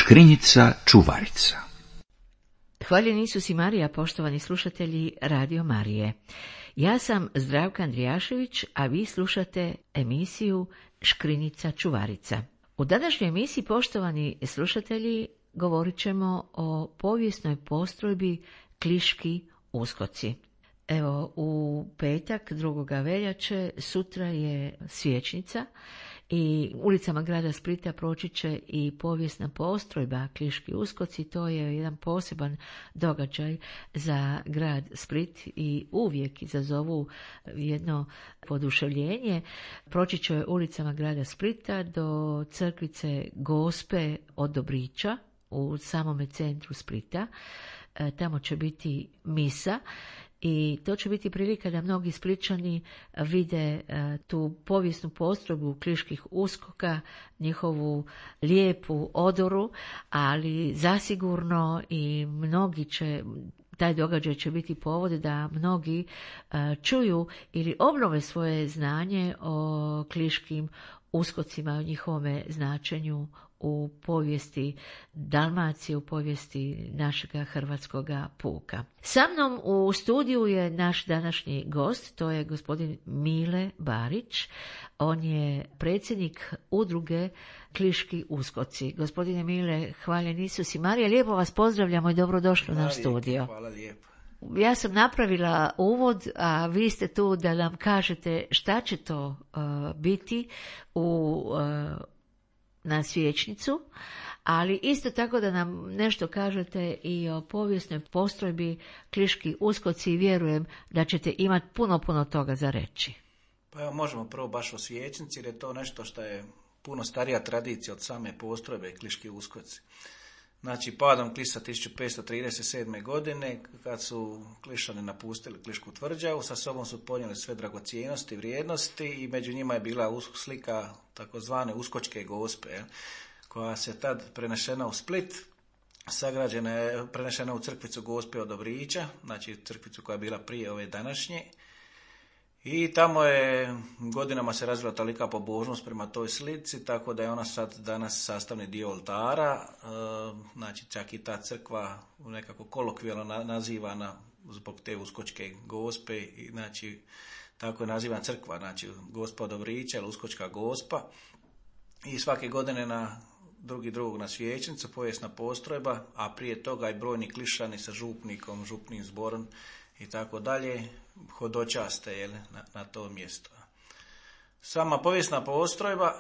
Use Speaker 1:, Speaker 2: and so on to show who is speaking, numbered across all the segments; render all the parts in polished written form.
Speaker 1: Škrinjica čuvarica.
Speaker 2: Hvaljeni Isus i Marija, poštovani slušatelji Radio Marije. Ja sam Zdravka Andrijašević, a vi slušate emisiju Škrinjica čuvarica. U današnjoj emisiji, poštovani slušatelji, govorit ćemo o povijesnoj postrojbi Kliški uskoci. Evo, u petak 2. veljače, sutra je svječnica i ulicama grada Splita proći će i povijesna postrojba Kliški uskoci. To je jedan poseban događaj za grad Split i uvijek izazovu jedno poduševljenje. Proći će ulicama grada Splita do crkvice Gospe od Dobrića u samome centru Splita. Tamo će biti misa. I to će biti prilika da mnogi Splićani vide tu povijesnu postrojbu Kliških uskoka, njihovu lijepu odoru, ali zasigurno i mnogi će, taj događaj će biti povod da mnogi čuju ili obnove svoje znanje o Kliškim uskocima, o njihovome značenju u povijesti Dalmacije, u povijesti našega hrvatskoga puka. Sa mnom u studiju je naš današnji gost, to je gospodin Mile Barić. On je predsjednik udruge Kliški uskoci. Gospodine Mile, hvaljen Isus i Marija, lijepo vas pozdravljamo i dobrodošli u naš studio.
Speaker 3: Hvala lijepo.
Speaker 2: Ja sam napravila uvod, a vi ste tu da nam kažete šta će to biti na svječnicu, ali isto tako da nam nešto kažete i o povijesnoj postrojbi Kliški uskoci i vjerujem da ćete imati puno toga za reći.
Speaker 3: Pa evo, možemo prvo baš o svječnici jer je to nešto što je puno starija tradicija od same postrojbe Kliški uskoci. Znači, padom Klisa 1537. godine, kad su Klišani napustili Klišku tvrđavu, sa sobom su ponijeli sve dragocjenosti, vrijednosti i među njima je bila slika takozvane Uskočke Gospe, koja se tad prenešena u Split, prenešena u crkvicu Gospe od Dobrića, znači crkvicu koja je bila prije ove današnje. I tamo je godinama se razvila tolika pobožnost prema toj slici, tako da je ona sad danas sastavni dio oltara, znači čak i ta crkva nekako kolokvijalno nazivana zbog te Uskočke Gospe, i znači tako je nazivana crkva, znači Gospa od Dobrića ili Uskočka Gospa. I svake godine na 2.2. na svječnicu povijesna postrojba, a prije toga i brojni Klišani sa župnikom, župnim zborom i tako dalje, hodočaste na to mjesto. Sama povijesna postrojba,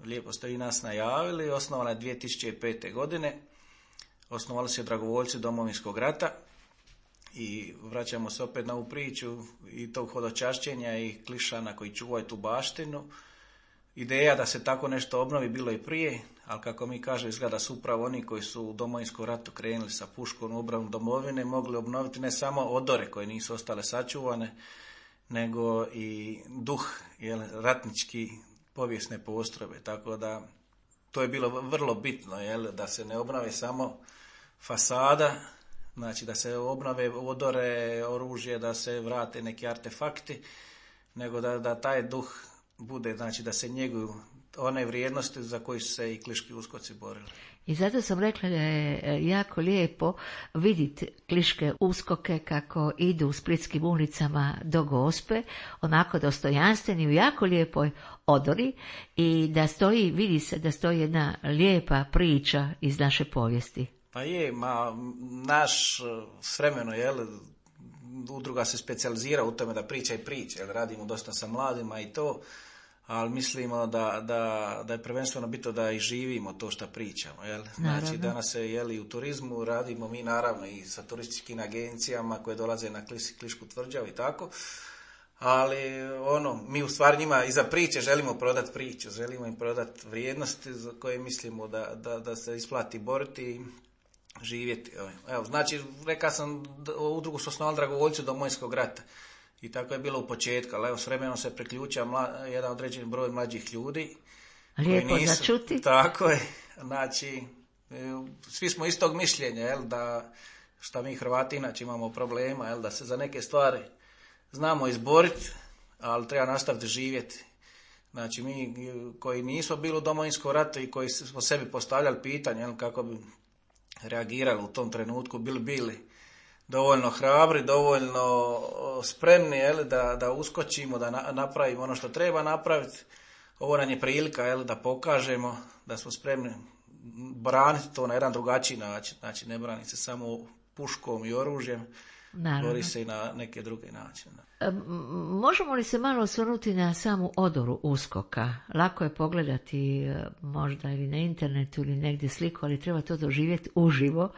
Speaker 3: lijepo ste i nas najavili, osnovana je 2005. godine. Osnovali su je dragovoljci Domovinskog rata i vraćamo se opet na ovu priču i tog hodočašćenja i Klišana koji čuvaju tu baštinu. Ideja da se tako nešto obnovi bilo i prije, ali kako mi kažemo, izgleda su upravo oni koji su u Domovinskom ratu krenuli sa puškom u obranu domovine mogli obnoviti ne samo odore koje nisu ostale sačuvane, nego i duh ratnički povijesne postrojbe. Tako da to je bilo vrlo bitno, da se ne obnove samo fasada, znači da se obnove odore, oružje, da se vrate neki artefakti, nego da taj duh bude, znači da se njeguju one vrijednosti za koje su se i Kliški uskoci borili.
Speaker 2: I zato sam rekla da je jako lijepo vidjeti Kliške uskoke kako idu u splitskim ulicama do Gospe, onako dostojanstveni u jako lijepoj odori i da stoji, vidi se da stoji jedna lijepa priča iz naše povijesti.
Speaker 3: Pa je, naš s vremenom, udruga se specijalizira u tome da priča i priča, radimo dosta sa mladima i to, ali mislimo da je prvenstveno bitno da i živimo to što pričamo. Znači danas se i u turizmu radimo mi naravno i sa turističkim agencijama koje dolaze na Klišku tvrđavu i tako, ali mi u stvari njima iza priče želimo prodati priču, želimo im prodati vrijednosti za koje mislimo da se isplati boriti i živjeti. Evo, znači, rekao sam, udrugu su osnovali dragovoljci Domovinskog rata. I tako je bilo u početku, ali s vremenom se priključio jedan određeni broj mlađih ljudi.
Speaker 2: Lijepo za čuti.
Speaker 3: Tako je, znači, svi smo istog mišljenja, da šta mi Hrvati inače imamo problema, da se za neke stvari znamo izboriti, ali treba nastaviti živjeti. Znači mi koji nismo bili u Domovinskom ratu i koji smo sebi postavljali pitanje kako bi reagirali u tom trenutku, bili dovoljno hrabri, dovoljno spremni da uskočimo, da napravimo ono što treba napraviti. Ovo nam je prilika da pokažemo da smo spremni braniti to na jedan drugačiji način. Znači ne brani se samo puškom i oružjem, bori se i na neke druge načine.
Speaker 2: Možemo li se malo osvrnuti na samu odoru USKOK-a? Lako je pogledati možda ili na internetu ili negdje sliku, ali treba to doživjeti uživo,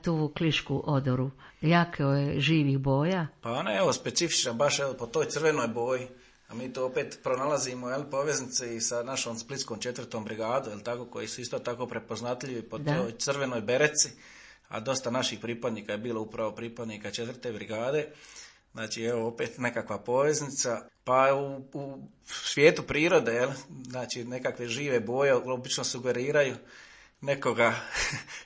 Speaker 2: tu klišku odoru. Jako je živih boja.
Speaker 3: Pa ona je specifična baš po toj crvenoj boji. A mi to opet pronalazimo poveznice i sa našom Splitskom 4. brigadom, tako, koji su isto tako prepoznatljivi po toj crvenoj bereci, a dosta naših pripadnika je bilo upravo pripadnika 4. brigade. Znači, evo opet nekakva poveznica. Pa u svijetu prirode, znači nekakve žive boje obično sugeriraju nekoga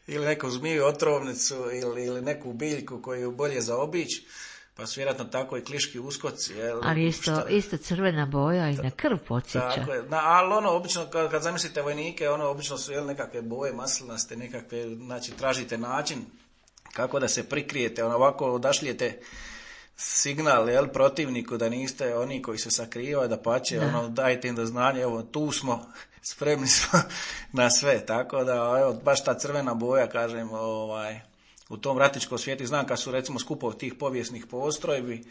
Speaker 3: ili neku zmiju otrovnicu ili neku biljku koju je bolje zaobići. Pa su vjerojatno tako i kliški uskoci.
Speaker 2: Ali isto crvena boja i na krv podsjeća. Tako je.
Speaker 3: Ali obično, kad zamislite vojnike, obično su nekakve boje maslinaste, nekakve, znači tražite način kako da se prikrijete, ovako odašlijete signal protivniku da niste oni koji se sakrivaju, da pače, dajte im do znanja, evo tu smo, spremni smo na sve. Tako da, evo, baš ta crvena boja, kažem, u tom ratičkom svijetu, znam kad su recimo skupovi tih povijesnih postrojbi,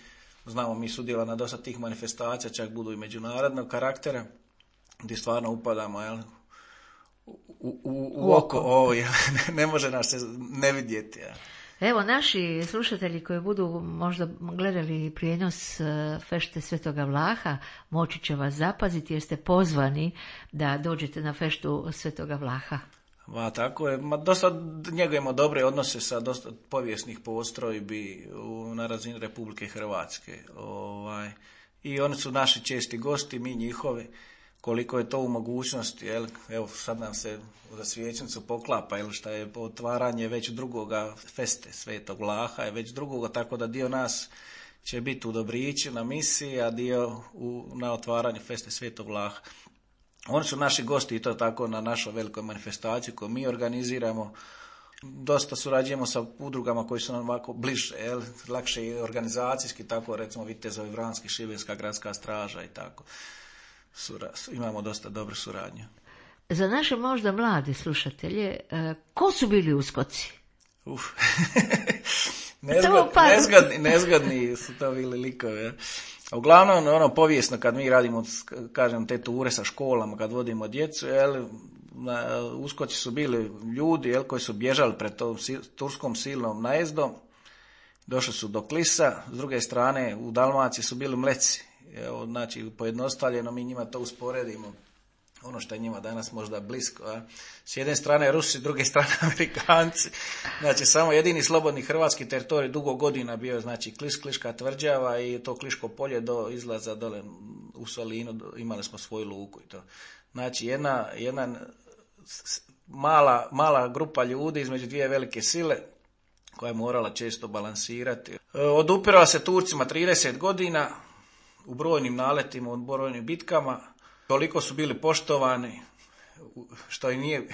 Speaker 3: znamo mi sudjela na dosta tih manifestacija, čak budu i međunarodnog karaktera, gdje stvarno upadamo u oko ovo, ne može nas se ne vidjeti.
Speaker 2: Evo, naši slušatelji koji budu možda gledali prijenos fešte Svetoga Vlaha, moći će vas zapaziti jer ste pozvani da dođete na feštu Svetoga Vlaha.
Speaker 3: Tako je, dosta njegujemo dobre odnose sa dosta povijesnih postrojbi na razini Republike Hrvatske. I oni su naši česti gosti, mi njihovi, koliko je to u mogućnosti. Evo sad nam se za Svijećnicu poklapa, šta je otvaranje već drugoga feste Svetog Vlaha, je već drugoga, tako da dio nas će biti u Dobrići na misiji, a dio na otvaranju feste Svetog Vlaha. Oni su naši gosti i to tako na našoj velikoj manifestaciji koju mi organiziramo. Dosta surađujemo sa udrugama koji su nam ovako bliže, lakše i organizacijski, tako recimo Vitezovi Vranski, Šibenska gradska straža i tako. Imamo dosta dobre suradnje.
Speaker 2: Za naše možda mlade slušatelje, ko su bili uskoci?
Speaker 3: Nezgodni su to bili likovi. Uglavnom, povijesno kad mi radimo, kažem, te ture sa školama, kad vodimo djecu, uskoci su bili ljudi koji su bježali pred tom turskom silnom najezdom, došli su do Klisa, s druge strane u Dalmaciji su bili Mleci. Znači, pojednostavljeno mi njima to usporedimo, ono što je njima danas možda blisko. S jedne strane Rusi, s druge strane Amerikanci. Znači, samo jedini slobodni hrvatski teritorij dugo godina bio, znači, Kliška tvrđava i to Kliško polje do izlaza dole u Solinu, imali smo svoju luku i to. Znači, jedna mala grupa ljudi između dvije velike sile koja je morala često balansirati. Odupirala se Turcima 30 godina u brojnim naletima, u brojnim bitkama. Toliko su bili poštovani, što i nije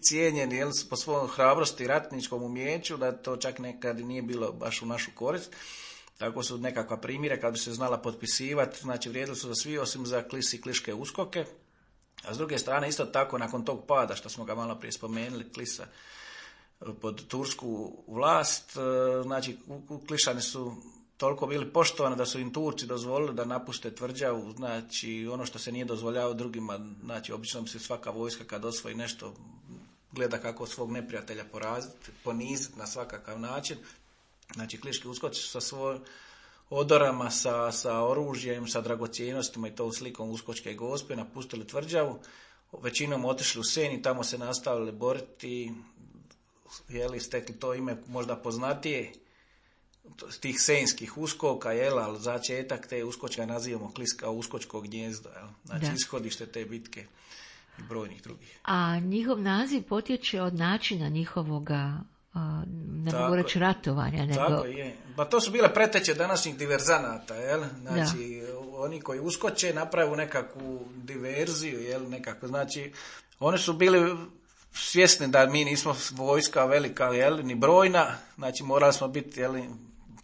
Speaker 3: cijenjeni po svojom hrabrosti i ratničkom umijeću, da to čak nekad nije bilo baš u našu korist. Tako su nekakva primjera kad bi se znala potpisivati, znači vrijedili su za svi osim za Klis i kliške uskoke. A s druge strane isto tako nakon tog pada, što smo ga malo prije spomenuli, Klisa pod tursku vlast, znači Klišani su toliko bili poštovani da su im Turci dozvolili da napuste tvrđavu, znači ono što se nije dozvoljavalo drugima, znači obično bi se svaka vojska kad osvoji nešto gleda kako svog neprijatelja poraziti, poniziti na svakakav način. Znači kliški uskoci su sa svojim odorama, sa oružjem, sa dragocjenostima i to slikom uskočke gospe napustili tvrđavu, većinom otišli u Senj i tamo se nastavili boriti, stekli to ime možda poznatije tih senjskih uskoka, ali začetak te uskočka nazivamo Kliska uskočko gnjezdo, znači ishodište te bitke i brojnih drugih.
Speaker 2: A njihov naziv potječe od načina njihovoga ne mogu reći ratovanja, nego...
Speaker 3: Tako je. Pa to su bile preteće današnjih diverzanata, jel? Znači, oni koji uskoče napravu nekakvu diverziju, jel? Nekako, znači, oni su bili svjesni da mi nismo vojska velika, jel? Ni brojna, znači morali smo biti, jel?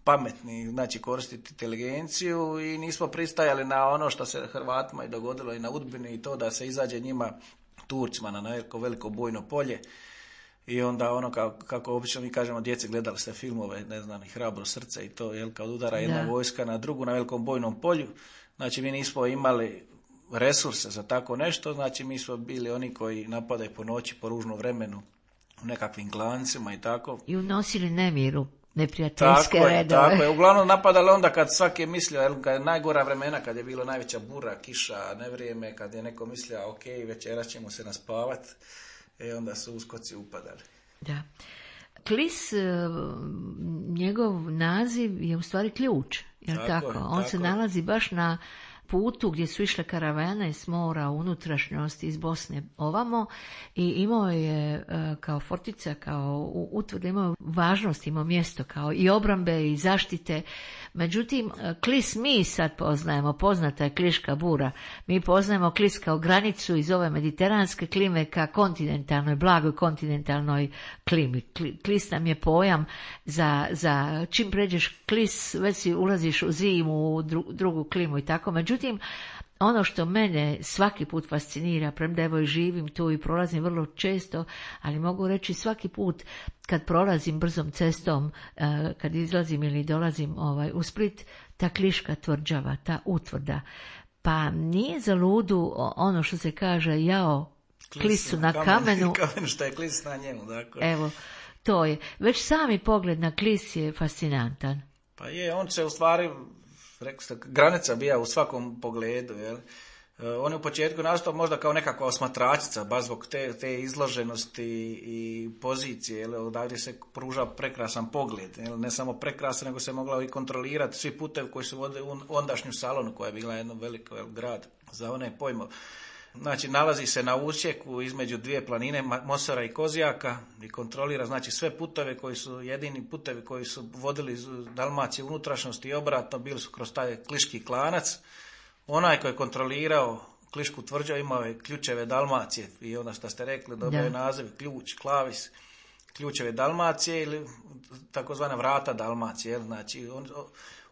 Speaker 3: Pametni, znači koristiti inteligenciju i nismo pristajali na ono što se Hrvatima i dogodilo i na Udbini i to da se izađe njima Turcima na veliko bojno polje i onda ono kako obično mi kažemo djeci, gledali ste filmove, ne znam, i Hrabro srce i to, jel, kad udara jedna vojska na drugu na velikom bojnom polju, znači mi nismo imali resurse za tako nešto, znači mi smo bili oni koji napadaju po noći, po ružnom vremenu u nekakvim klancima i tako.
Speaker 2: I unosili nemiru. Neprijateljske redove.
Speaker 3: Tako je, uglavnom napadali onda kad svaki je mislio, kad je najgora vremena, kad je bilo najveća bura, kiša, nevrijeme, kad je neko mislio, ok, večeras ćemo se naspavati, onda su uskoci upadali.
Speaker 2: Da. Klis, njegov naziv je u stvari ključ, jel tako? On se nalazi baš na putu gdje su išle karavane s mora u unutrašnjosti iz Bosne ovamo i imao je kao fortica, kao utvrda, imao važnost, imao mjesto kao i obrambe i zaštite. Međutim, Klis mi sad poznajemo, poznata je Kliška bura, mi poznajemo Klis kao granicu iz ove mediteranske klime ka kontinentalnoj, blagoj kontinentalnoj klimi. Klis nam je pojam za čim pređeš Klis, već si ulaziš u zimu, u drugu klimu i tako. Međutim, ono što mene svaki put fascinira, premda evo i živim tu i prolazim vrlo često, ali mogu reći svaki put kad prolazim brzom cestom, kad izlazim ili dolazim u Split, ta Kliška tvrđava, ta utvrda, pa nije za ludu ono što se kaže jao Klisu na kamenu.
Speaker 3: Što je Klis na njemu, dakle.
Speaker 2: Evo, to je. Već sami pogled na Klis je fascinantan.
Speaker 3: Pa je, on se u stvari, rekli ste, granica bija u svakom pogledu, jel? On je u početku nastao možda kao nekakva osmatračica, baš zbog te izloženosti i pozicije, jel? Odavdje se pruža prekrasan pogled, jel? Ne samo prekrasan, nego se mogla i kontrolirati svi putevi koji su vodili u ondašnju Salonu, koja je bila jedno veliko grad za one pojmove. Znači, nalazi se na usjeku između dvije planine, Mosora i Kozjaka, i kontrolira, znači, sve puteve koji su, jedini putevi koji su vodili iz Dalmacije unutrašnjosti i obratno, bili su kroz taj Kliški klanac. Onaj koji je kontrolirao Klišku tvrđavu imao je ključeve Dalmacije i onda što ste rekli, dobio je naziv ključ, klavis, ključeve Dalmacije ili takozvana vrata Dalmacije, znači,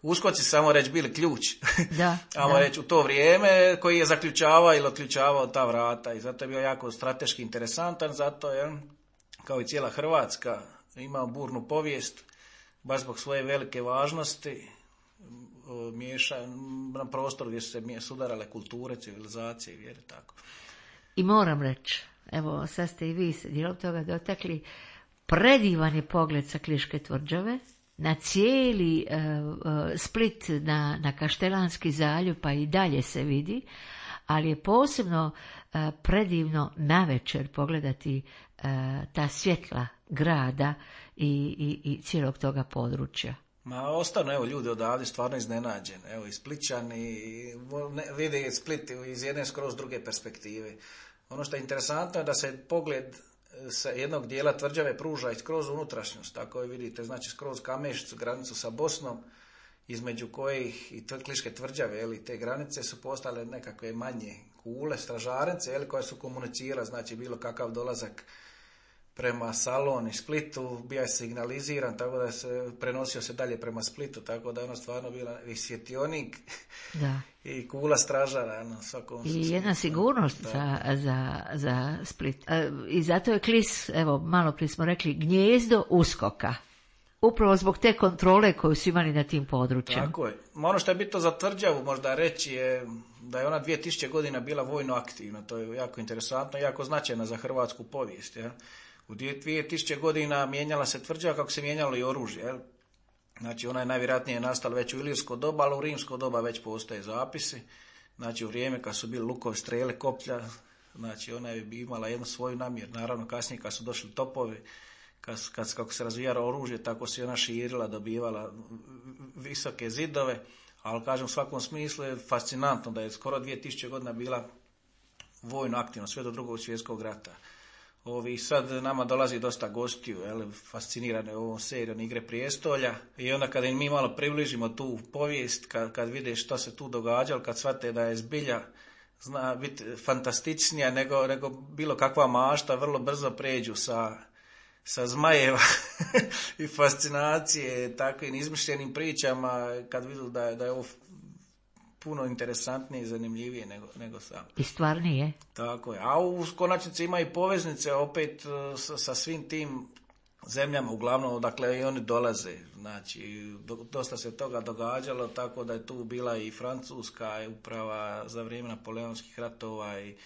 Speaker 3: uskoci samo reći bili ključ, ajmo reći u to vrijeme koji je zaključavao ili otključavao ta vrata i zato je bio jako strateški interesantan, zato je kao i cijela Hrvatska imao burnu povijest, baš zbog svoje velike važnosti, miješa na prostoru gdje su se sudarale kulture, civilizacije i vjere, tako.
Speaker 2: I moram reći, evo sad ste i vi se dijelom toga dotakli, predivan je pogled sa Kliške tvrđave, na cijeli Split, na Kaštelanski zaljev, pa i dalje se vidi, ali je posebno predivno navečer pogledati ta svjetla grada i cijelog toga područja.
Speaker 3: Ma ostanu, evo, ljudi odavde stvarno iznenađeni, evo, i Splićani vide Split iz jedne skroz druge perspektive. Ono što je interesantno je da se pogled sa jednog dijela tvrđave pruža i skroz unutrašnjost, tako je vidite, znači skroz Kamešicu, granicu sa Bosnom, između kojih i Kliške tvrđave, jeli, te granice su postale nekakve manje kule, stražarnice, jeli, koje su komunicirale, znači bilo kakav dolazak prema Salonu i Splitu, bio je signaliziran, tako da se prenosio se dalje prema Splitu, tako da je ono stvarno bila i svjetionik i kula stražara.
Speaker 2: I jedna sigurnost za Split. I zato je Klis, evo, malo prije smo rekli, gnijezdo uskoka. Upravo zbog te kontrole koju su imali na tim područjima.
Speaker 3: Tako je. Ono što je bitno za tvrđavu možda reći je da je ona 2000 godina bila vojno aktivna. To je jako interesantno, jako značajna za hrvatsku povijest. Ja. U 2000 godina mijenjala se tvrđava kako se mijenjalo i oružje. Ja. Znači ona je najvjerojatnije nastala već u ilirsko doba, ali u rimsko doba već postoje zapisi. Znači u vrijeme kad su bili lukovi, strele, koplja, znači ona je imala jednu svoju namjer. Naravno kasnije kad su došli topovi, kako se razvijalo oružje, tako se ona širila, dobivala visoke zidove, ali kažem u svakom smislu je fascinantno da je skoro 2000 godina bila vojno aktivna, sve do Drugog svjetskog rata. Sad nama dolazi dosta gostiju, fascinirane ovom serijom Igre prijestolja, i onda kada im mi malo približimo tu povijest, kad vide što se tu događalo, kad shvate da je zbilja zna biti fantastičnija nego bilo kakva mašta, vrlo brzo pređu sa zmajeva i fascinacije takvim izmišljenim pričama, kad vidu da je ovo puno interesantnije i zanimljivije nego sam.
Speaker 2: I stvarnije.
Speaker 3: Tako je. A u konačnici ima i poveznice opet sa svim tim zemljama, uglavnom odakle i oni dolaze. Znači, dosta se toga događalo, tako da je tu bila i Francuska uprava za vrijeme Napoleonskih ratova, i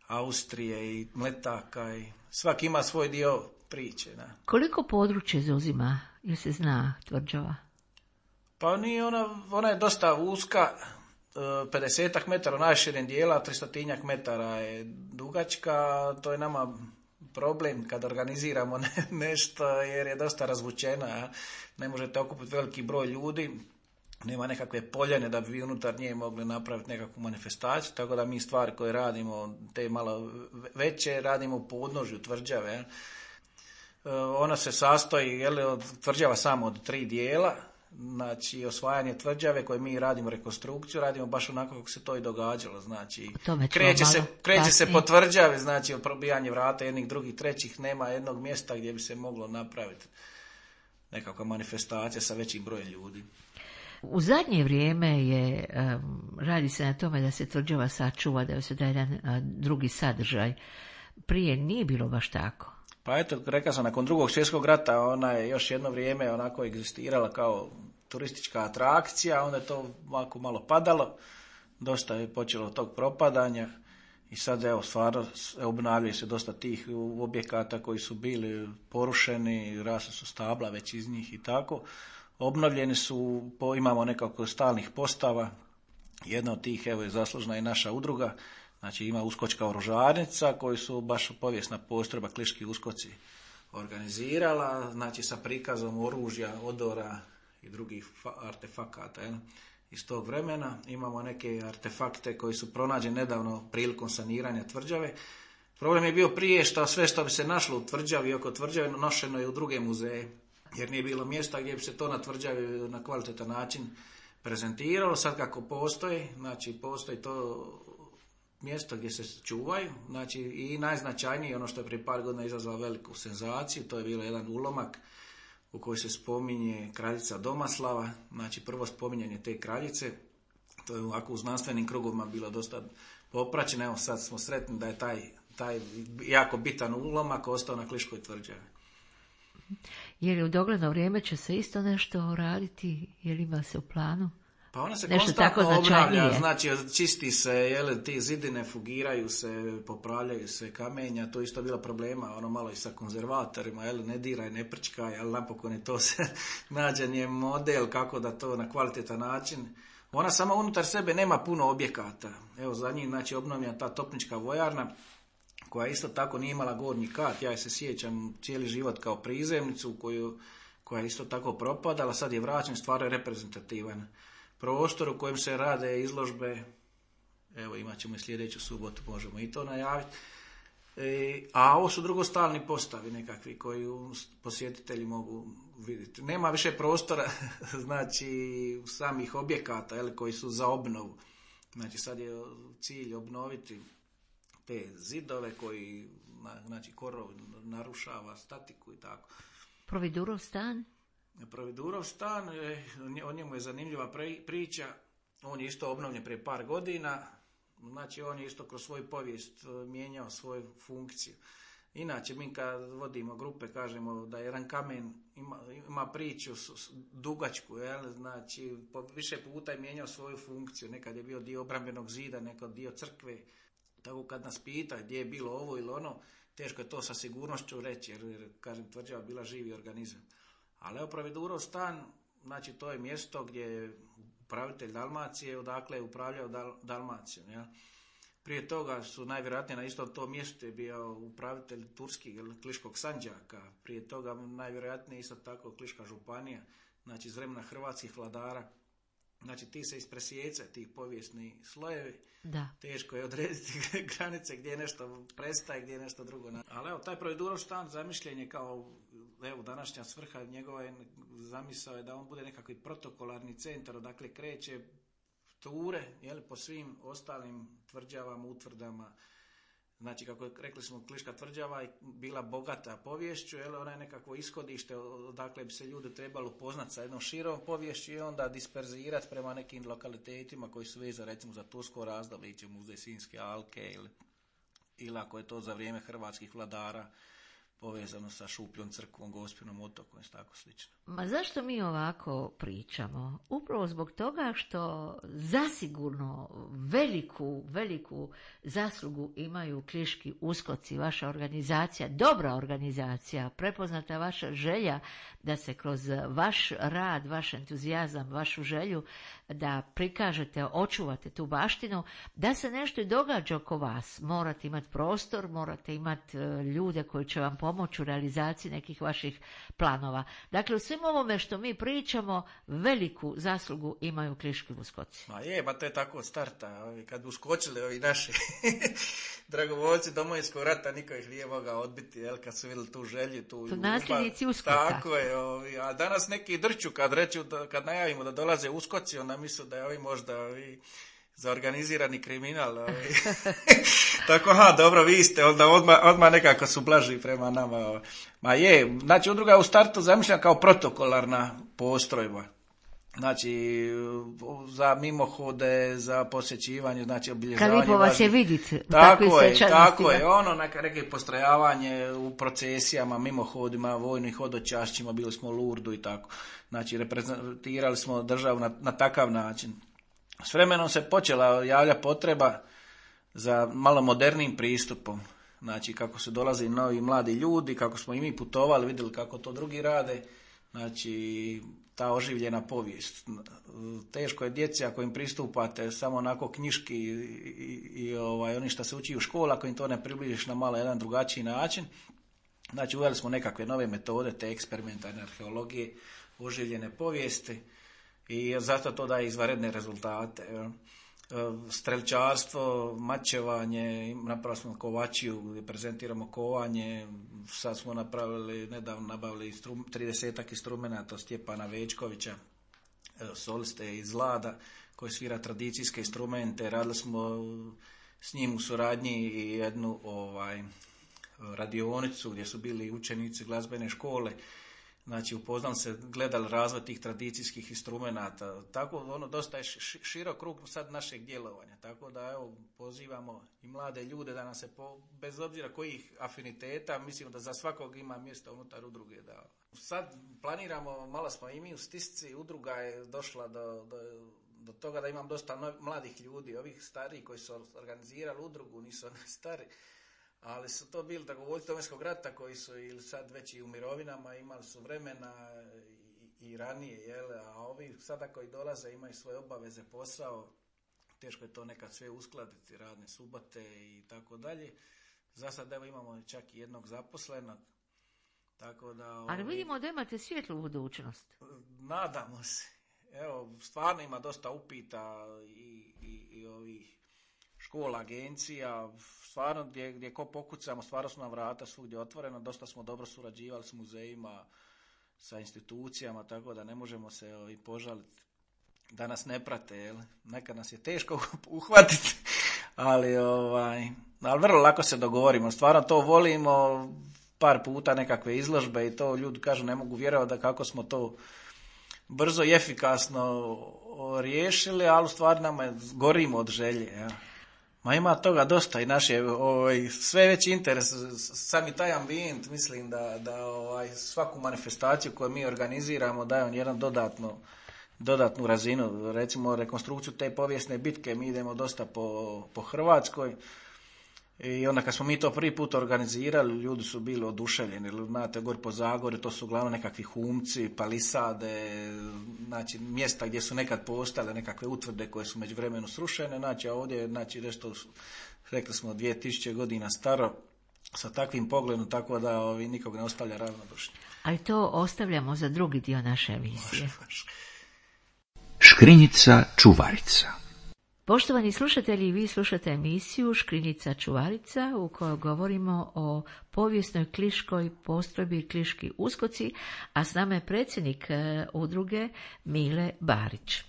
Speaker 3: Austrije, i Mletaka, i svaki ima svoj dio priče. Da.
Speaker 2: Koliko područje zauzima, ili se zna, tvrđava?
Speaker 3: Pa nije ona je dosta uska, 50 metara najširim dijela, 300 metara je dugačka. To je nama problem kad organiziramo nešto, jer je dosta razvučena. Ne možete okupiti veliki broj ljudi, nema nekakve poljane da bi vi unutar nje mogli napraviti nekakvu manifestaciju, tako da mi stvari koje radimo, te malo veće, radimo u podnožju tvrđave. Ona se sastoji od tvrđava samo od 3 dijela. Znači, osvajanje tvrđave koje mi radimo rekonstrukciju, radimo baš onako kako se to i događalo. Znači, kreće se po tvrđavi, znači od probijanja vrata jednih, drugih, trećih, nema jednog mjesta gdje bi se moglo napraviti nekakva manifestacija sa većim brojem ljudi.
Speaker 2: U zadnje vrijeme radi se na tome da se tvrđava sačuva, da se da jedan drugi sadržaj. Prije nije bilo baš tako.
Speaker 3: Pa eto, rekao sam, nakon Drugog svjetskog rata ona je još jedno vrijeme onako egzistirala kao turistička atrakcija, onda je to malo padalo, dosta je počelo tog propadanja i sad stvarno obnavljaju se dosta tih objekata koji su bili porušeni, rasle su stabla već iz njih i tako. Obnovljeni su, imamo nekako stalnih postava, jedna od tih je zaslužna i naša udruga. Znači ima uskočka oružarnica koju su baš povijesna postrojba Kliški uskoci organizirala, znači sa prikazom oružja, odora i drugih artefakata iz tog vremena. Imamo neke artefakte koji su pronađeni nedavno prilikom saniranja tvrđave. Problem je bio prije što sve što bi se našlo u tvrđavi i oko tvrđave nošeno je u druge muzeje, jer nije bilo mjesta gdje bi se to na tvrđavi na kvalitetan način prezentiralo. Sad kako postoji, znači postoji to mjesto gdje se čuvaju, znači i najznačajnije ono što je prije par godina izazvalo veliku senzaciju, to je bilo jedan ulomak u kojoj se spominje kraljica Domaslava, znači prvo spominjanje te kraljice, to je ovako u znanstvenim krugovima bilo dosta popraćeno, evo sad smo sretni da je taj jako bitan ulomak ostao na Kliškoj tvrđavi.
Speaker 2: Je li u dogledno vrijeme će se isto nešto raditi, je li ima se u planu?
Speaker 3: Pa ona se
Speaker 2: nešto
Speaker 3: konstantno obnavlja, znači čisti se, ti zidine fugiraju se, popravljaju se kamenja, to isto bilo problema, malo i sa konzervatorima, ne diraj, ne prčkaj, ali napokon je to se nađen je model kako da to na kvalitetan način. Ona sama unutar sebe nema puno objekata, za njih znači obnovljena ta topnička vojarna, koja isto tako nije imala gornji kat, ja se sjećam cijeli život kao prizemnicu koja je isto tako propadala, sad je vraćen, stvarno je reprezentativan prostor u kojem se rade izložbe, imat ćemo i sljedeću subotu, možemo i to najaviti. A ovo su drugostalni postavi nekakvi koji posjetitelji mogu vidjeti. Nema više prostora, znači samih objekata koji su za obnovu. Znači sad je cilj obnoviti te zidove koji, znači korov narušava statiku i tako.
Speaker 2: Providurov stan?
Speaker 3: Providurov stan, o njemu je zanimljiva priča, on je isto obnovljen prije par godina, znači on je isto kroz svoju povijest mijenjao svoju funkciju. Inače, mi kad vodimo grupe kažemo da jedan kamen ima priču dugačku, znači više puta je mijenjao svoju funkciju, nekad je bio dio obrambenog zida, nekad dio crkve, tako kad nas pita gdje je bilo ovo ili ono, teško je to sa sigurnošću reći, jer kažem, tvrđava bila živi organizam. Ali Providurov stan, znači to je mjesto gdje je upravitelj Dalmacije, odakle je upravljao Dalmacijom. Prije toga su najvjerojatnije na isto to mjesto je bio upravitelj Turskog ili Kliškog Sandžaka, prije toga najvjerojatnije isto tako Kliška županija, znači iz vremena hrvatskih vladara Znači ti se ispresjeca, tih povijesni slojevi,
Speaker 2: Da.
Speaker 3: teško je odrediti granice gdje nešto prestaje, gdje je nešto drugo. Ali evo, taj Providuroš stan zamišljen je kao, evo, današnja svrha njegova je, zamisao je da on bude nekakvi protokolarni centar, odakle kreće ture, po svim ostalim tvrđavama, utvrdama. Znači, kako rekli smo, Kliška tvrđava je bila bogata poviješću, ona je nekakvo ishodište odakle bi se ljudi trebalo upoznati sa jednom širom poviješću i onda disperzirati prema nekim lokalitetima koji su vezani, recimo, za tursko razdoblje, ići u muzej Sinjske alke ili ako je to za vrijeme hrvatskih vladara povezano sa Šupljom crkvom, Gospinom otokom i tako slično.
Speaker 2: Ma zašto mi ovako pričamo? Upravo zbog toga što zasigurno veliku zaslugu imaju Kliški uskoci, vaša organizacija, dobra organizacija, prepoznata vaša želja da se kroz vaš rad, vaš entuzijazam, vašu želju da prikažete, očuvate tu baštinu, da se nešto i događa oko vas. Morate imati prostor, morate imati ljude koji će vam pomoći u realizaciji nekih vaših planova. Dakle, u svim ovome što mi pričamo, veliku zaslugu imaju Kliški uskoci.
Speaker 3: To je tako od starta. Kad bi uskočili ovi naši dragovoljci Domovinskog rata, niko ih nije mogao odbiti, kad su vidjeli tu želju, tu
Speaker 2: nasljednici uskoka.
Speaker 3: Tako je. A danas neki drču kad najavimo da dolaze uskoci, onda misle da je ovi možda za organizirani kriminal. Tako, dobro, vi ste, onda odmah nekako su blaži prema nama. Znači, udruga je u startu zamišljena kao protokolarna postrojba. Znači, za mimohode, za posjećivanje, znači obilježavanje.
Speaker 2: Kad lipo vas je vidjeti.
Speaker 3: Tako je, neke postrojavanje u procesijama, mimohodima, vojnim hodočašćima, bili smo u Lurdu i tako. Znači, reprezentirali smo državu na takav način. S vremenom se počela javljati potreba za malo modernijim pristupom. Znači, kako su dolazili novi mladi ljudi, kako smo i mi putovali, vidjeli kako to drugi rade. Znači, ta oživljena povijest. Teško je djeci ako im pristupate samo onako knjiški i oni što se uči u školi, ako im to ne približiš na malo jedan drugačiji način. Znači, uveli smo nekakve nove metode, te eksperimentalne arheologije, oživljene povijesti i zato to daje izvanredne rezultate. Strelčarstvo, mačevanje, napravili smo kovačiju gdje prezentiramo kovanje, sad smo nedavno nabavili 30 instrumenata od Stjepana Večkovića, soliste iz Lada koji svira tradicijske instrumente, radili smo s njim u suradnji i jednu radionicu gdje su bili učenici glazbene škole. Znači, upoznali se, gledali razvoj tih tradicijskih instrumenata. Tako, dosta je širok krug sad našeg djelovanja. Tako da, pozivamo i mlade ljude da nam se, bez obzira kojih afiniteta, mislim da za svakog ima mjesta unutar udruge. Da. Sad planiramo, malo smo i mi u stisci, udruga je došla do toga da imam dosta mladih ljudi, ovih starih koji su organizirali udrugu, nisu oni stari. Ali su to bili dragovoljci Domovinskog rata koji su ili sad već i u mirovinama, imali su vremena i ranije, a ovi sada koji dolaze imaju svoje obaveze, posao, teško je to nekad sve uskladiti, radne subote i tako dalje. Za sad imamo čak i jednog zaposlenog. Tako da,
Speaker 2: ali vidimo da imate svjetlu budućnost.
Speaker 3: Nadamo se. Stvarno ima dosta upita i ovih škola, agencija, stvarno gdje ko pokucamo, stvarno su nam vrata svugdje otvoreno, dosta smo dobro surađivali s muzejima, sa institucijama, tako da ne možemo se i požaliti da nas ne prate, nekad nas je teško uhvatiti, ali vrlo lako se dogovorimo, stvarno to volimo, par puta nekakve izložbe i to ljudi kažu ne mogu vjerovati da kako smo to brzo i efikasno riješili, ali u stvari nama gorimo od želje, ima toga dosta i naš je sve veći interes, sami taj ambijent, mislim da svaku manifestaciju koju mi organiziramo daje on jedan dodatnu razinu. Recimo rekonstrukciju te povijesne bitke mi idemo dosta po Hrvatskoj i onda kad smo mi to prvi put organizirali, ljudi su bili oduševljeni. Znate, gore po Zagorju to su uglavnom nekakvi humci, palisade, znači mjesta gdje su nekad postale nekakve utvrde koje su međuvremenu srušene, znači a ovdje je nešto, rekli smo 2000 godina staro, sa takvim pogledom, tako da nikog ne ostavlja ravnodušno.
Speaker 2: Ali to ostavljamo za drugi dio naše emisije.
Speaker 3: Može.
Speaker 1: Škrinjica čuvarica.
Speaker 2: Poštovani slušatelji, vi slušate emisiju Škrinjica čuvarica u kojoj govorimo o povijesnoj kliškoj postrojbi Kliški uskoci, a s nama je predsjednik udruge Mile Barić.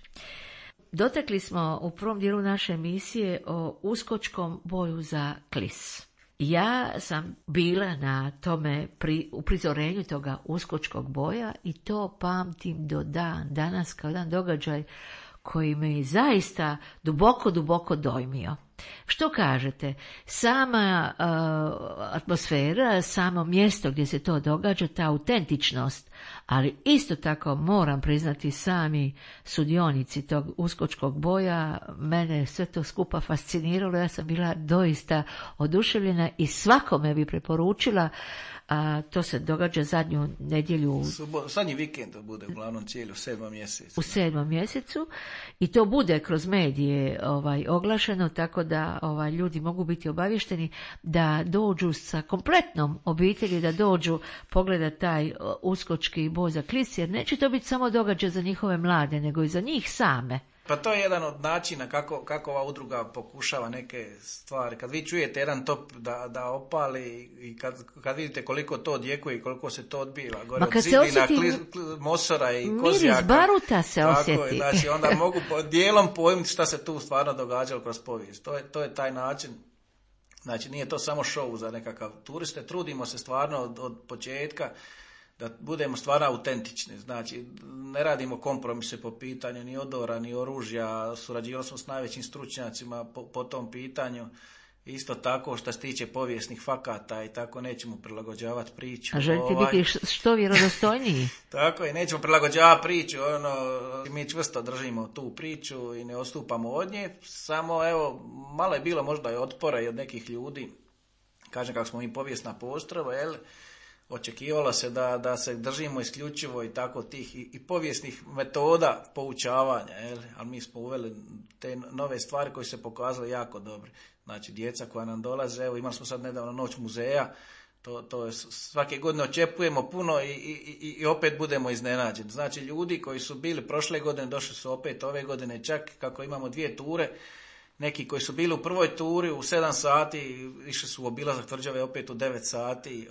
Speaker 2: Dotakli smo u prvom dijelu naše emisije o uskočkom boju za Klis. Ja sam bila na tome u prizorenju toga uskočkog boja i to pamtim do danas kao jedan događaj koji me zaista duboko dojmio. Što kažete? Sama atmosfera, samo mjesto gdje se to događa, ta autentičnost, ali isto tako moram priznati sami sudionici tog uskočkog boja, mene sve to skupa fasciniralo, ja sam bila doista oduševljena i svakome bi preporučila. To se događa zadnju nedjelju.
Speaker 3: Zadnji vikend to bude uglavnom cijeli u 7. mjesecu.
Speaker 2: U 7. mjesecu i to bude kroz medije oglašeno, tako da ljudi mogu biti obavješteni da dođu sa kompletnom obitelji, da dođu pogledati taj uskočki boj za Klis, jer neće to biti samo događaj za njihove mlade, nego i za njih same.
Speaker 3: Pa to je jedan od načina kako ova udruga pokušava neke stvari. Kad vi čujete jedan top da opali i kad vidite koliko to odjekuje i koliko se to odbiva, gore od zidina, mosora i kozjaka.
Speaker 2: Miris baruta se osjeti.
Speaker 3: Znači, onda mogu dijelom pojmiti šta se tu stvarno događalo kroz povijest. To je taj način. Znači, nije to samo show za nekakav turiste. Trudimo se stvarno od početka da budemo stvarno autentični, znači ne radimo kompromise po pitanju ni odora, ni oružja, surađivali smo s najvećim stručnjacima po tom pitanju, isto tako što se tiče povijesnih fakata i tako nećemo prilagođavati priču.
Speaker 2: A želite biti što vjerodostojniji?
Speaker 3: Tako je, nećemo prilagođavati priču, mi čvrsto držimo tu priču i ne odstupamo od nje, samo evo, malo je bilo možda i otpora i od nekih ljudi, kažem kako smo mi povijesna postrojba, očekivalo se da se držimo isključivo i tako tih i povijesnih metoda poučavanja, ali mi smo uveli te nove stvari koje se pokazale jako dobre. Znači, djeca koja nam dolaze, evo imali smo sad nedavno Noć muzeja, to je, svake godine očekujemo puno i opet budemo iznenađeni. Znači, ljudi koji su bili prošle godine, došli su opet ove godine, čak kako imamo 2 ture, neki koji su bili u prvoj turi u 7 sati, išli su u obilazak tvrđave opet u 9 sati.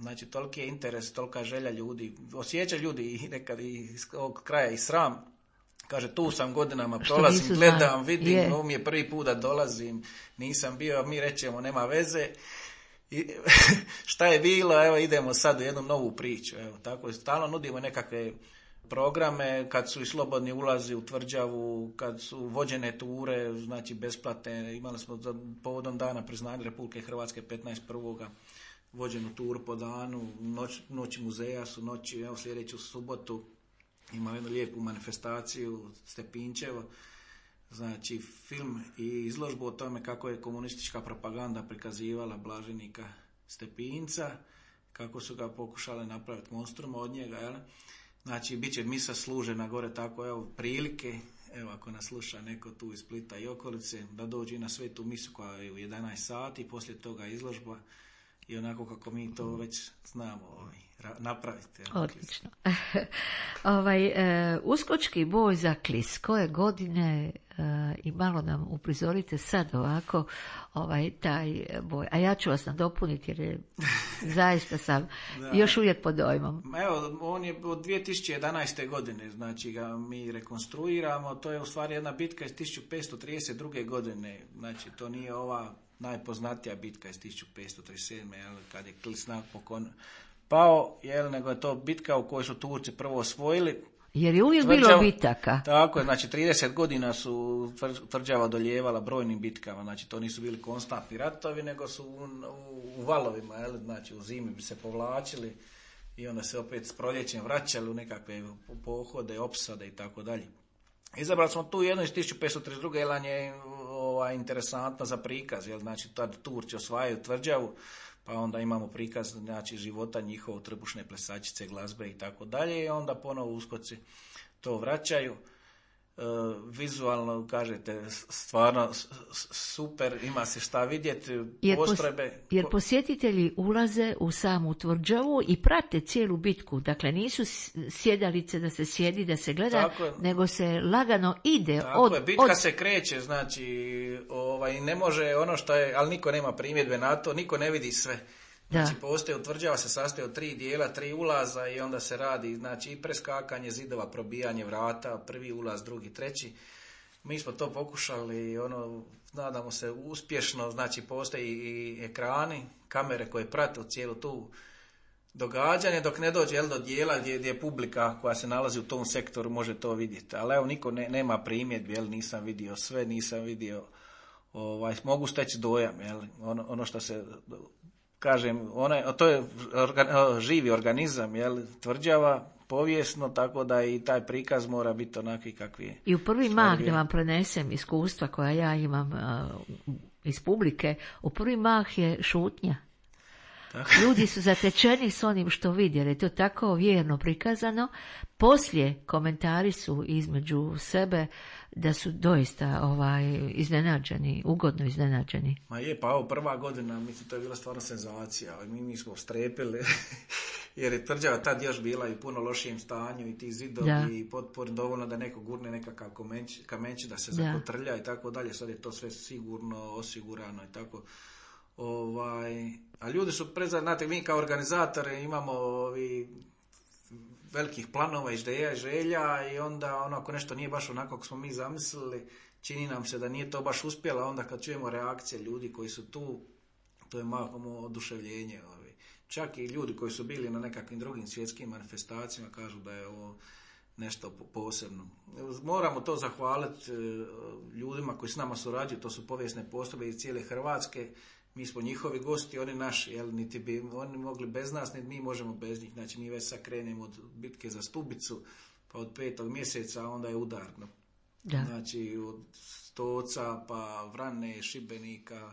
Speaker 3: Znači, toliki je interes, tolika želja ljudi. Osjeća ljudi i nekad iz ovog kraja i sram. Kaže, tu sam godinama, prolazim, gledam, vidim, ovo mi je prvi put da dolazim, nisam bio, mi rećemo, nema veze. I šta je bilo, evo idemo sad u jednu novu priču. Evo, tako stalno nudimo nekakve programe, kad su i slobodni ulazi u tvrđavu, kad su vođene ture, znači besplatne, imali smo povodom dana priznanja Republike Hrvatske 15.1. vođenu turu po danu, noći muzeja su noći, evo sljedeću subotu imamo jednu lijepu manifestaciju Stepinčevo, znači film i izložbu o tome kako je komunistička propaganda prikazivala blaženika Stepinca, kako su ga pokušali napraviti monstrum od njega, jel? Znači, bit će misa služena gore, tako evo prilike, evo ako nas sluša neko tu iz Splita i okolice, da dođe na svetu misu koja je u 11 sati, poslije toga izložba i onako kako mi to već znamo napraviti.
Speaker 2: Odlično. Uskočki boj za Klis, koje godine i malo nam uprizorite sad ovako taj boj. A ja ću vas nadopuniti jer je, zaista sam još uvijek pod dojmom.
Speaker 3: Evo, on je od 2011. godine, znači ga mi rekonstruiramo, to je u stvari jedna bitka iz 1532. godine, znači to nije ova najpoznatija bitka iz 1537. Kad je Klis napokon pao, nego je to bitka u kojoj su Turci prvo osvojili.
Speaker 2: Jer je uvijek bilo bitaka.
Speaker 3: Tako je, znači 30 godina su tvrđava doljevala brojnim bitkama, znači to nisu bili konstantni ratovi, nego su u valovima, znači u zimi bi se povlačili i onda se opet s proljećem vraćali u nekakve pohode, opsade i tako dalje. Izabrali smo tu jednu iz 1532. jer je interesantna za prikaz, znači tad Turci osvajaju tvrđavu, pa onda imamo prikaz, znači, života njihovog, trbušne plesačice, glazbe i tako dalje, i onda ponovo uskoci to vraćaju. vizualno, kažete, stvarno super, ima se šta vidjeti, postrojbe.
Speaker 2: Jer posjetitelji ulaze u samu tvrđavu i prate cijelu bitku, dakle nisu sjedalice da se sjedi, da se gleda, nego se lagano ide.
Speaker 3: Bitka se kreće, znači ne može ono što je, ali niko nema primjedbe na to, niko ne vidi sve. Znači, tvrđava se sastoji od 3 dijela, 3 ulaza i onda se radi, znači, i preskakanje zidova, probijanje vrata, prvi ulaz, drugi, treći. Mi smo to pokušali, nadamo se uspješno, znači, postoji i ekrani, kamere koje prate cijelu tu događanje, dok ne dođe do dijela gdje je publika koja se nalazi u tom sektoru može to vidjeti. Ali evo, niko nema primjedbi, nisam vidio sve, nisam vidio, mogu steći dojam, ono što se... Kažem, to je živi organizam, tvrđava, povijesno, tako da i taj prikaz mora biti onaki kakvi je.
Speaker 2: I u prvi mah, da vam prenesem iskustva koja ja imam iz publike, u prvi mah je šutnja. Tako. Ljudi su zatečeni s onim što vidi, jer je to tako vjerno prikazano. Poslije komentari su između sebe da su doista iznenađeni, ugodno iznenađeni.
Speaker 3: Ma je, pa ovo prva godina, mislim, to je bila stvarno senzacija. Mi smo strepili, jer je tvrđava tad još bila i u puno lošijem stanju i ti zidovi i potpori dovoljno da neko gurne nekakav kamenči da se zakotrlja i tako dalje. Sad je to sve sigurno, osigurano i tako. A ljudi su znate, mi kao organizatori imamo velikih planova, ideja i želja i onda ako nešto nije baš onako kako smo mi zamislili, čini nam se da nije to baš uspjela, onda kad čujemo reakcije ljudi koji su tu, to je malo oduševljenje. Čak i ljudi koji su bili na nekakvim drugim svjetskim manifestacijama kažu da je ovo nešto posebno. Moramo to zahvaliti ljudima koji s nama surađuju, to su povijesne postrojbe iz cijele Hrvatske. Mi smo njihovi gosti, oni naši, niti bi oni mogli bez nas, niti mi možemo bez njih. Znači, mi već sad krenemo od bitke za Stubicu, pa od 5. mjeseca, onda je udarno. Da. Znači, od Stoca, pa Vrane, Šibenika,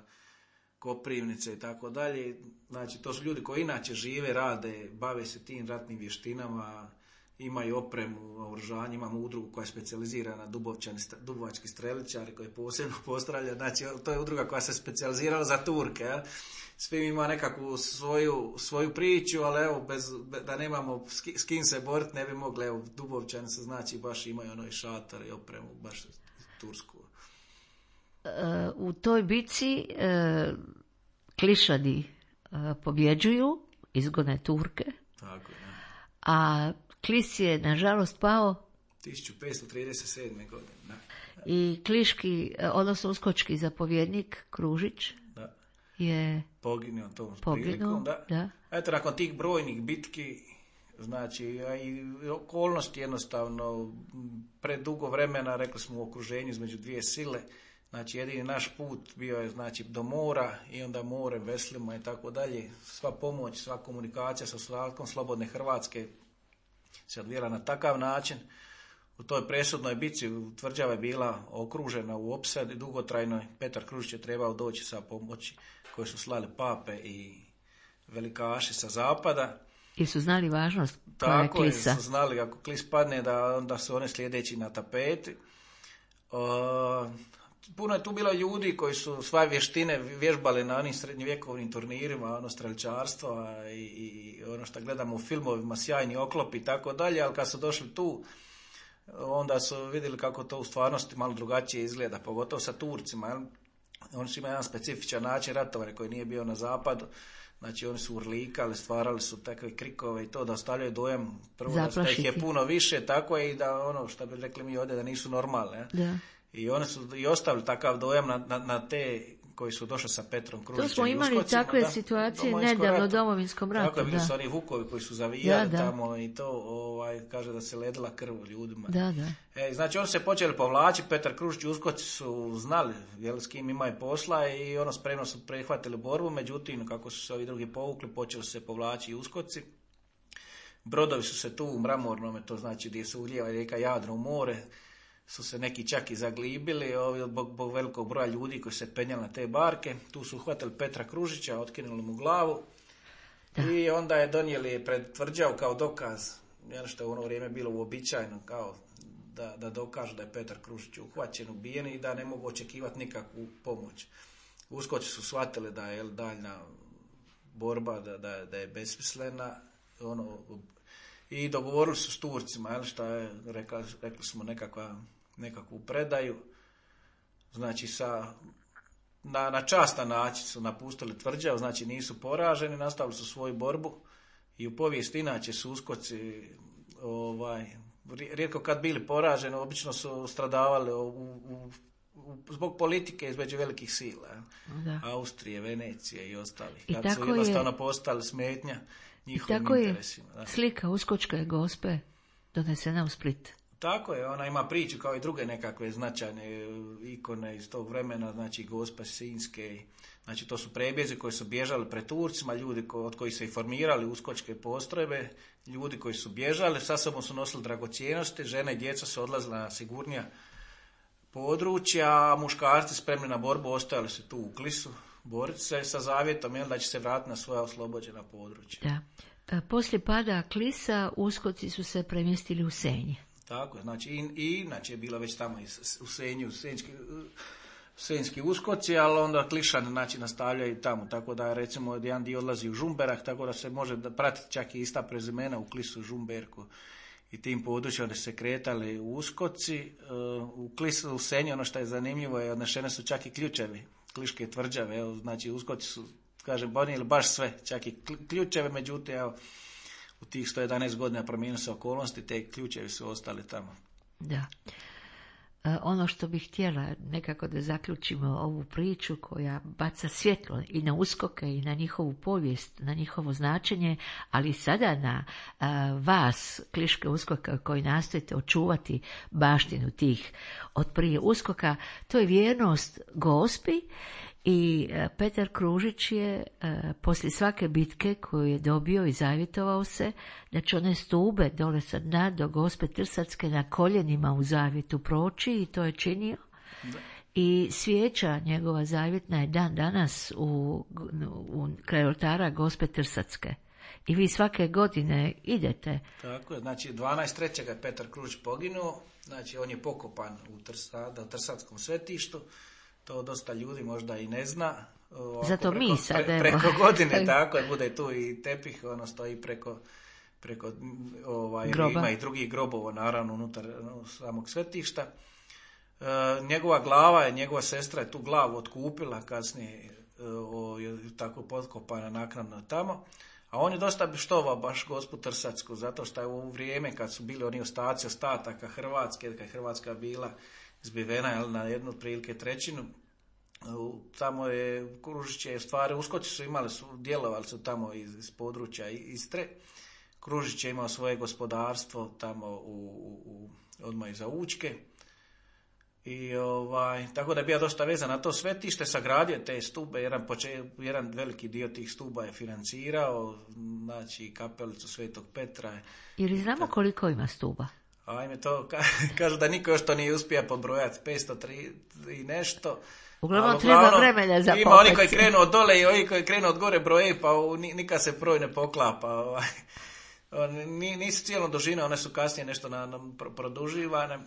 Speaker 3: Koprivnice i tako dalje. Znači, to su ljudi koji inače žive, rade, bave se tim ratnim vještinama, imaju opremu, oružanje, imamo udrugu koja je specijalizirana dubovački streličari koji posebno postavlja, znači to je udruga koja se specijalizirala za Turke, svi ima nekakvu svoju priču, ali evo, da nemamo s kim se boriti, ne bi mogli, evo, Dubovčani se znači baš imaju i šator i opremu, baš tursku.
Speaker 2: U toj bici klišadi pobjeđuju, izgone Turke,
Speaker 3: tako, ja.
Speaker 2: A Klis je, nažalost, pao
Speaker 3: 1537. godine. Da.
Speaker 2: I kliški, odnosno uskočki zapovjednik Kružić je
Speaker 3: poginuo tom prilikom. Da. Eto, nakon tih brojnih bitki, znači, i okolnosti jednostavno, predugo vremena, rekli smo, u okruženju između dvije sile, znači, jedini naš put bio je, znači, do mora i onda more, veslima i tako dalje. Sva pomoć, sva komunikacija sa ostatkom slobodne Hrvatske se odvijela na takav način. U toj presudnoj bici tvrđava je bila okružena u opsadi dugotrajnoj. Petar Kružić je trebao doći sa pomoći koje su slali pape i velikaši sa zapada.
Speaker 2: I su znali važnost
Speaker 3: tako
Speaker 2: Klisa.
Speaker 3: Tako su znali, ako Klis padne, da onda su one sljedeći na tapeti. Puno je tu bilo ljudi koji su svoje vještine vježbali na onim srednjovjekovnim turnirima, strelčarstva i ono što gledamo u filmovima, sjajni oklopi i tako dalje, ali kad su došli tu, onda su vidjeli kako to u stvarnosti malo drugačije izgleda, pogotovo sa Turcima. Oni su imali jedan specifičan način ratovanja koji nije bio na zapadu. Znači, oni su urlikali, stvarali su takve krikove i to da ostavljaju dojam prvo da ih je puno više, tako je i da ono što bi rekli mi ovdje da nisu normalne.
Speaker 2: Da.
Speaker 3: I oni su i ostavili takav dojam na te koji su došli sa Petrom Kružićem.
Speaker 2: To smo imali takve situacije nedavno u Domovinskom ratu.
Speaker 3: Tako je, bili su oni vukovi koji su zavijali tamo i to kaže da se ledila krv ljudima.
Speaker 2: Da.
Speaker 3: Znači oni se počeli povlačiti, Petar Kružić i uskoci su znali s kim imaju posla i spremno su prihvatili borbu, međutim kako su se ovi drugi povukli, počeli su se povlačiti i uskoci. Brodovi su se tu u Mramornome, to znači gdje se ulijeva rijeka Jadro u more, su se neki čak i zaglibili zbog velikog broja ljudi koji se penjali na te barke. Tu su uhvatili Petra Kružića, otkinuli mu glavu i onda je donijeli pred tvrđavu kao dokaz, što je u ono vrijeme bilo uobičajeno, kao da dokažu da je Petar Kružić uhvaćen, ubijen i da ne mogu očekivati nikakvu pomoć. Uskoci su shvatili da je daljna borba da je besmislena, i dogovorili su s Turcima, šta je, rekli smo nekakvu predaju, znači na častan način su napustili tvrđavu, znači nisu poraženi, nastavili su svoju borbu i u povijesti inače su uskoci rijetko kad bili poraženi, obično su stradavali zbog politike između velikih sila, Austrije, Venecije i ostalih, kad su jednostavno postali smetnja njihovim interesima.
Speaker 2: Tako je slika Uskočke Gospe donesena u Split.
Speaker 3: Tako je, ona ima priču kao i druge nekakve značajne ikone iz tog vremena, znači Gospe Sinjske, znači to su prebjezi koji su bježali pred Turcima, ljudi od kojih se i formirali uskočke postrojbe, ljudi koji su bježali, sa sobom su nosili dragocjenosti, žene i djeca su odlazile na sigurnija područja, a muškarci spremni na borbu ostajali su tu u Klisu, boriti se sa zavjetom da će se vratiti na svoja oslobođena područja.
Speaker 2: Da. Poslije pada Klisa, uskoci su se premjestili u Senj.
Speaker 3: Tako je, znači inače je bila već tamo u Senju, senjski uskoci, ali onda Klišani znači nastavljaju tamo, tako da recimo jedan dio odlazi u Žumberak, tako da se može pratiti čak i ista prezimena u Klisu, Žumberku i tim područjima gdje se kretali uskoci. U Klisu, u Senju, ono što je zanimljivo je, odnešene su čak i ključevi Kliške tvrđave, evo, znači uskoci su, kažem, bonijeli baš sve, čak i ključeve, međutim, evo, u tih 111 godina promijenili se okolnosti, te ključevi su ostali tamo.
Speaker 2: Da. Ono što bih htjela nekako da zaključimo ovu priču koja baca svjetlo i na uskoke i na njihovu povijest, na njihovo značenje, ali sada na vas, Kliške uskoka, koji nastojite očuvati baštinu tih od prije uskoka, to je vjernost Gospi. I Petar Kružić je poslije svake bitke koju je dobio i zavjetovao se da će one stube dole sa dna do Gospe Trsatske na koljenima u zavjetu proći, i to je činio. Da. I svijeća njegova zavjetna je dan danas u kraj oltara Gospe Trsatske. I vi svake godine idete.
Speaker 3: Tako je, znači 12.3. je Petar Kružić poginuo, znači on je pokopan u Trsatskom svetištu. To dosta ljudi možda i ne zna.
Speaker 2: Zato mi sad
Speaker 3: preko godine, tako je, bude tu i tepih, ono stoji preko ima i drugih grobova, naravno, unutar samog svetišta. Njegova glava je, njegova sestra je tu glavu otkupila, kasnije je tako potkopana naknadno tamo. A on je dosta štovao baš Gospu Trsatsku, zato što je u vrijeme kad su bili oni ostaci ostataka Hrvatske, kad je Hrvatska bila zbivena na jednu prilike trećinu, tamo je Kružić je stvari, uskoci su djelovali su tamo iz područja Istre. Kružić je imao svoje gospodarstvo tamo odmah iza Učke. I tako da je bio dosta vezan na to svetište, sagradio te stube, jedan veliki dio tih stuba je financirao, znači kapelicu Svetog Petra.
Speaker 2: Ili znamo koliko ima stuba?
Speaker 3: Ajme to, kažu da niko još to nije uspio pobrojati, 503 i nešto.
Speaker 2: Uglavnom treba vremena za popet.
Speaker 3: Ima oni koji krenu od dole i oni koji krenu od gore broje, pa nikad se broj ne poklapa. Nisu cijelo dužine, one su kasnije nešto produživane.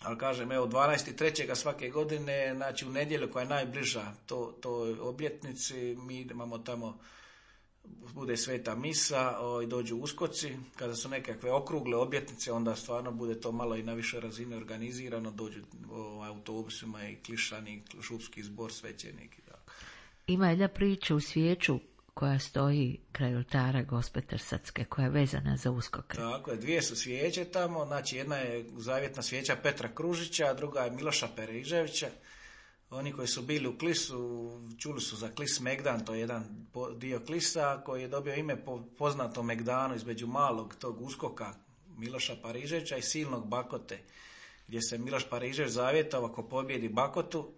Speaker 3: Ali kažem, evo 12.3. svake godine, znači u nedjelju koja je najbliža toj obljetnici, mi imamo tamo, bude sveta misa i dođu uskoci. Kada su nekakve okrugle obljetnice, onda stvarno bude to malo i na više razine organizirano, dođu autobusima i Klišani, šupski zbor, svećenik.
Speaker 2: Ima jedna priča u svijeću koja stoji kraj oltara Gospe Trsatske, koja je vezana za uskoke.
Speaker 3: Tako je, dvije su svijeće tamo, znači jedna je zavjetna svijeća Petra Kružića, a druga je Miloša Periževića. Oni koji su bili u Klisu, čuli su za Klis Megdan, to je jedan dio Klisa koji je dobio ime po poznatom Megdanu između malog tog uskoka Miloša Pariževića i silnog Bakote, gdje se Miloš Parižević zavjetovao ako pobjedi Bakotu,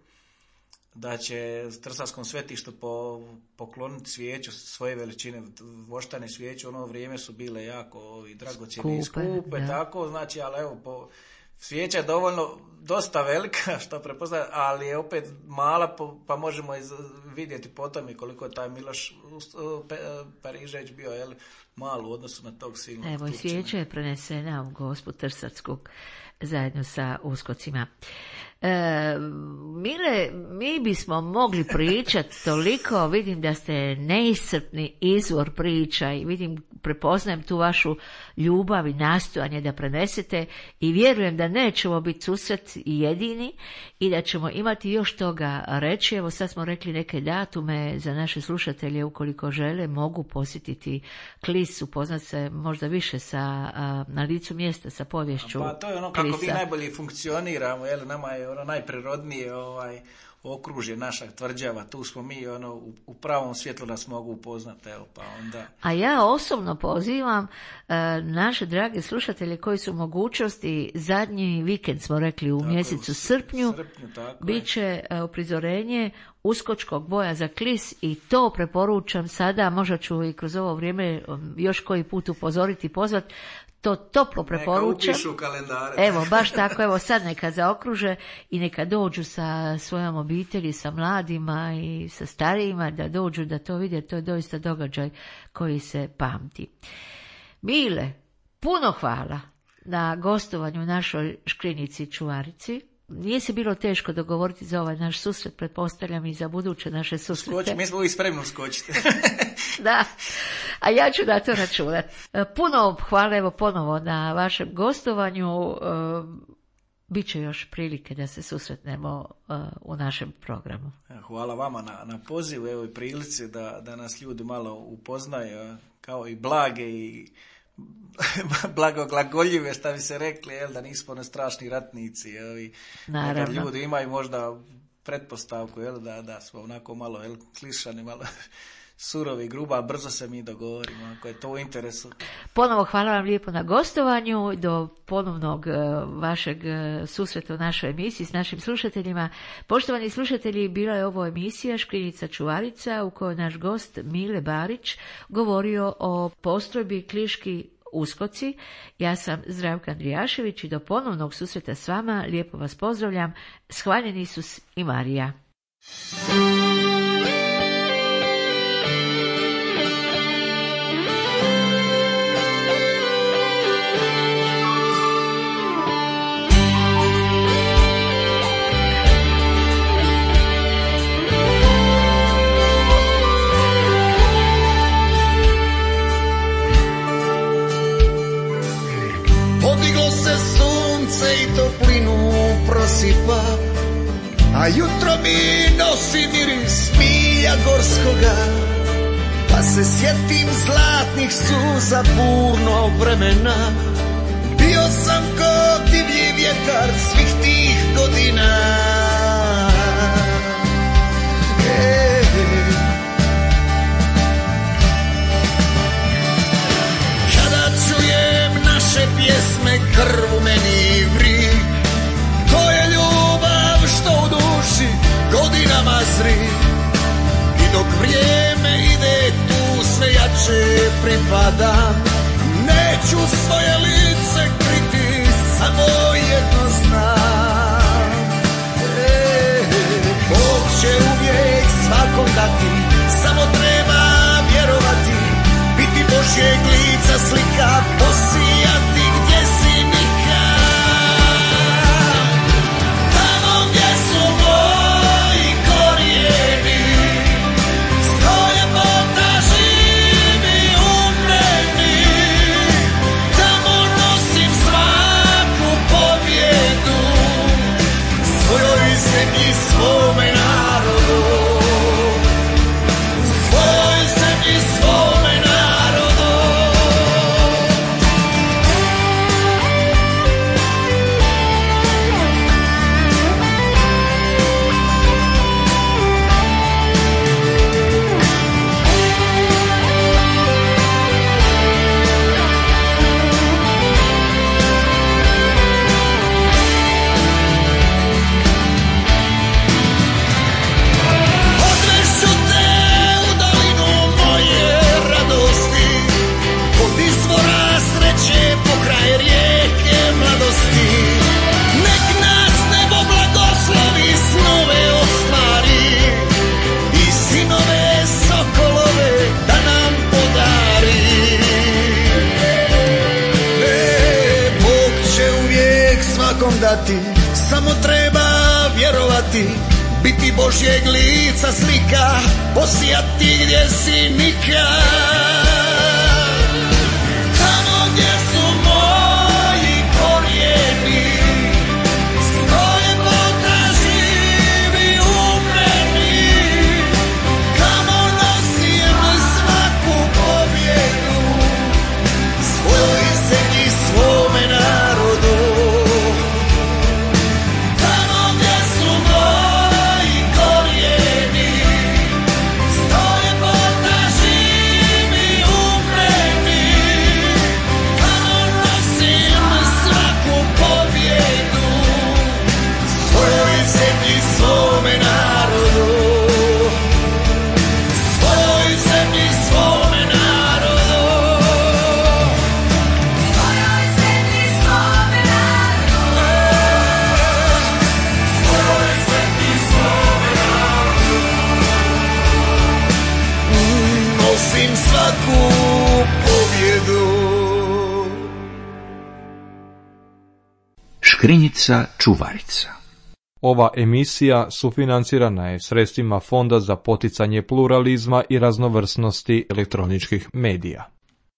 Speaker 3: da će Trsatskom svetištu pokloniti svijeću svoje veličine, voštane svijeće, u ono vrijeme su bile jako dragocjene i skupe, tako, znači, ali evo, svijeća je dosta velika, što prepoznaje, ali je opet mala, pa možemo vidjeti potom i koliko je taj Miloš Parižević bio malu u odnosu na tog silnog
Speaker 2: Evo, i svijeća je prenesena u Gospu Trsacku zajedno sa uskocima. Mile, mi bismo mogli pričati toliko, vidim da ste neiscrpni izvor priča i vidim, prepoznajem tu vašu ljubav i nastojanje da prenesete i vjerujem da nećemo biti susret jedini i da ćemo imati još toga reći. Evo, sad smo rekli neke datume za naše slušatelje, ukoliko žele mogu posjetiti Klis, upoznat se možda više na licu mjesta sa povješću.
Speaker 3: Pa to je ono kako mi najbolje funkcioniramo, jel, nama je ono najprirodnije okružje našeg tvrđava, tu smo mi u pravom svjetlu nas mogu upoznati, evo, pa onda.
Speaker 2: A ja osobno pozivam naše drage slušatelje koji su u mogućnosti, zadnji vikend smo rekli u mjesecu srpnju bit će uprizorenje uskočkog boja za Klis i to preporučam sada, možda ću i kroz ovo vrijeme još koji put upozoriti i pozvati. To toplo preporučam.
Speaker 3: Neka upišu kalendare.
Speaker 2: Evo, baš tako, evo sad neka zaokruže i neka dođu sa svojom obitelji, sa mladima i sa starijima, da dođu da to vide, to je doista događaj koji se pamti. Mile, puno hvala na gostovanju u našoj Škrinici Čuvarici. Nije se bilo teško dogovoriti za ovaj naš susret, pretpostavljam i za buduće naše susrete.
Speaker 3: Mi smo uvijek spremni uskočiti.
Speaker 2: Da, a ja ću na to računati. Puno hvala evo ponovo na vašem gostovanju. Biće još prilike da se susretnemo u našem programu.
Speaker 3: Hvala vama na pozivu, evo i prilici da nas ljudi malo upoznaju, kao i blage i blagoglagoljive, šta bi se rekli, jel, da nismo ne strašni ratnici, jel, i nekad ljudi imaju možda pretpostavku, jel, da smo onako malo, jel, klišani, malo surovi, gruba, brzo se mi dogovorimo, ako je to u interesu.
Speaker 2: Ponovo hvala vam lijepo na gostovanju, do ponovnog vašeg susreta u našoj emisiji s našim slušateljima. Poštovani slušatelji, bila je ovo emisija Škrinica Čuvarica u kojoj naš gost Mile Barić govorio o postrojbi Kliški uskoci. Ja sam Zdravka Andrijašević i do ponovnog susreta s vama lijepo vas pozdravljam. Hvaljen Isus i Marija.
Speaker 4: Podiglo se sunce i toplinu prosipa, a jutro mi nosi miris milja gorskoga. Pa se sjetim zlatnih suza burnog vremena, bio sam ko divlji vjetar svih tih godina. Kada čujem naše pjesme, krv u meni vri, to je ljubav što u duši godinama zri. I dok vrijeme ide tu sve jače pripadam, neću svoje lice kriti, samo jedno znam. Bog će uvijek svakom dati, samo treba vjerovati, biti Božjeg lica slika, posijati gdje si nikad. Tamo gdje su moji korijeni, stoje Bog da živi umreni. dati, samo treba vjerovati, biti Božjeg lica slika, posijati gdje si nikad. Tamo gdje su moji korijeni, stoje Boga živi u meni, kamo nosim svaku pobjedu, svojoj zemlji, svome narodu. Tamo gdje su moji korijeni, stoje Boga živi u meni, kamo nosim svaku pobjedu, svojoj zemlji, svome narodu. Svojoj zemlji, svome narodu. Svojoj zemlji, svome narodu. Svojoj zemlji, svome narodu. Nosim svaku pobjedu.
Speaker 1: Škrinjica čuvarica.
Speaker 5: Ova emisija sufinancirana je sredstvima Fonda za poticanje pluralizma i raznovrsnosti elektroničkih medija.